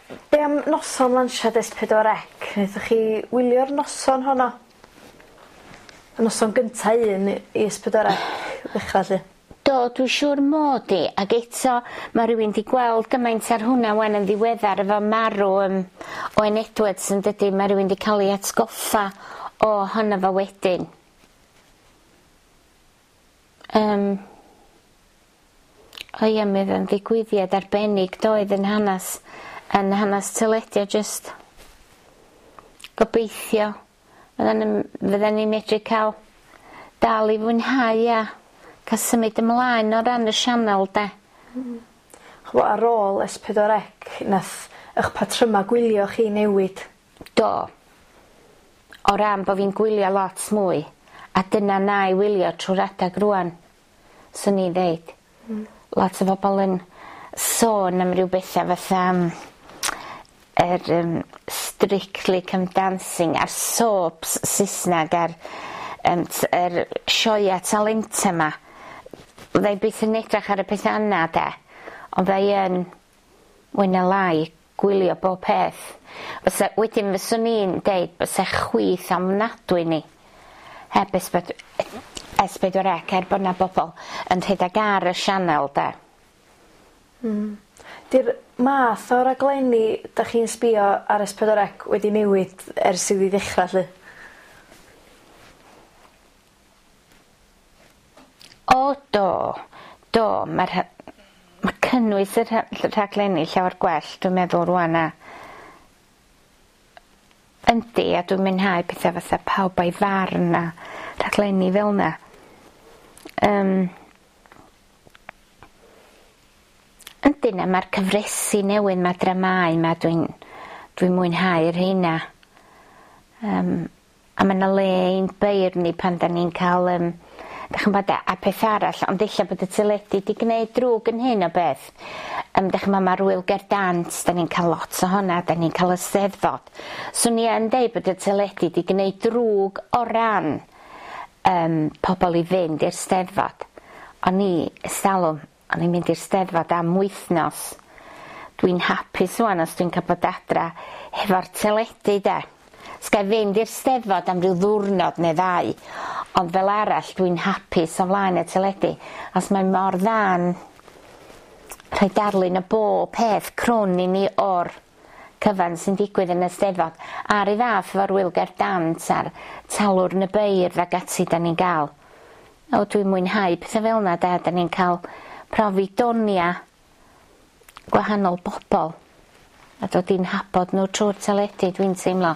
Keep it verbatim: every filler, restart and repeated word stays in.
Be' am noson lansiad Es Pedwar Ec naethoch chi wylio'r noson honno? Y noson gynta un i Es Pedwar Ec ddechra 'lly. Do dwi siŵr mod i ag eto ma' rywun 'di gweld gymaint ar hwnna 'wan yn ddiweddar efo marw yym Owen Edwards yn dydi ma' rywun 'di ca'l 'i atgoffa o honno fo wedyn. Yym. O ia mi o'dd o'n ddigwyddiad arbennig doedd yn hanas yn hanas teledu a jyst gobeithio fyddan yn fyddan ni'n medru ca'l dal i fwynhau a ca'l symud ymlaen o ran y sianel 'de? Hmm. Ch'mo' ar ôl Es Pedwar Ec nath 'ych patryma gwylio chi newid? Do. O ran bo' fi'n gwylio lot mwy a dyna 'nai wylio trw'r adag rŵan swn i'n ddeud. Hmm. Lot o bobol yn sôn am ryw betha fatha yym yr yym Strictly Come Dancing a'r soaps Sysnag a'r yym t- yr sioea talenta 'ma. Fyddai byth yn edrach ar y petha yna 'de ond fyddai yn mwy ne' lai gwylio bob peth. Fysa wedyn fyswn i'n deud bysa chwith ofnadwy ni heb Es Ped- Es Pedwar Ec er bo' 'na bobol yn rhedag ar y sianel 'de? Hmm. 'Di'r math o raglenni 'dach chi'n sbïo ar Es Pedwar Ec wedi newid ers iddi ddechra 'lly? O do do ma' rha- ma' cynnwys y rha- rhaglenni llawer gwell dwi'n meddwl rŵan a yndi a dwi'n mwynhau petha fatha Pawb a'i Farn a rhaglenni fel 'na. Yym. Yndi na ma'r cyfresi newydd 'ma dramâu 'ma dwi'n dwi'n mwynhau rheina. Yym a ma' 'na le i'n beirdd ni pan 'dan ni'n ca'l yym 'dych chi'n 'bod a peth arall ond ella bod y teledu 'di gneud drwg yn hyn o beth yym 'dych ch'mo' ma'r Ŵyl Gerdd Dant 'dan ni'n ca'l lot ohona 'dan ni'n ca'l y Steddfod. Swn i yn deud bod y teledu 'di gneud drwg o ran yym pobol i fynd i'r Steddfod. O'n i ers talwm o'n i'n mynd i'r Steddfod am wythnos. Dwi'n hapus ŵan os dwi'n ca'l bod adra hefo'r teledu 'de. Sgai fynd i'r Steddfod am ryw ddwrnod neu ddau ond fel arall dwi'n hapus o flaen y teledu os mae mor dda'n rhoi darlun o bob peth crwn i ni o'r cyfan sy'n digwydd yn y Steddfod a'r un fath efo'r Ŵyl Gerdd Dant a'r Talwrn y Beirdd ag ati 'dan ni'n ga'l. O dwi'n mwynhau petha fel 'na 'de 'dan ni'n ca'l profi donia gwahanol bobol a dod i'n nhabod n'w trw'r teledu dwi'n teimlo.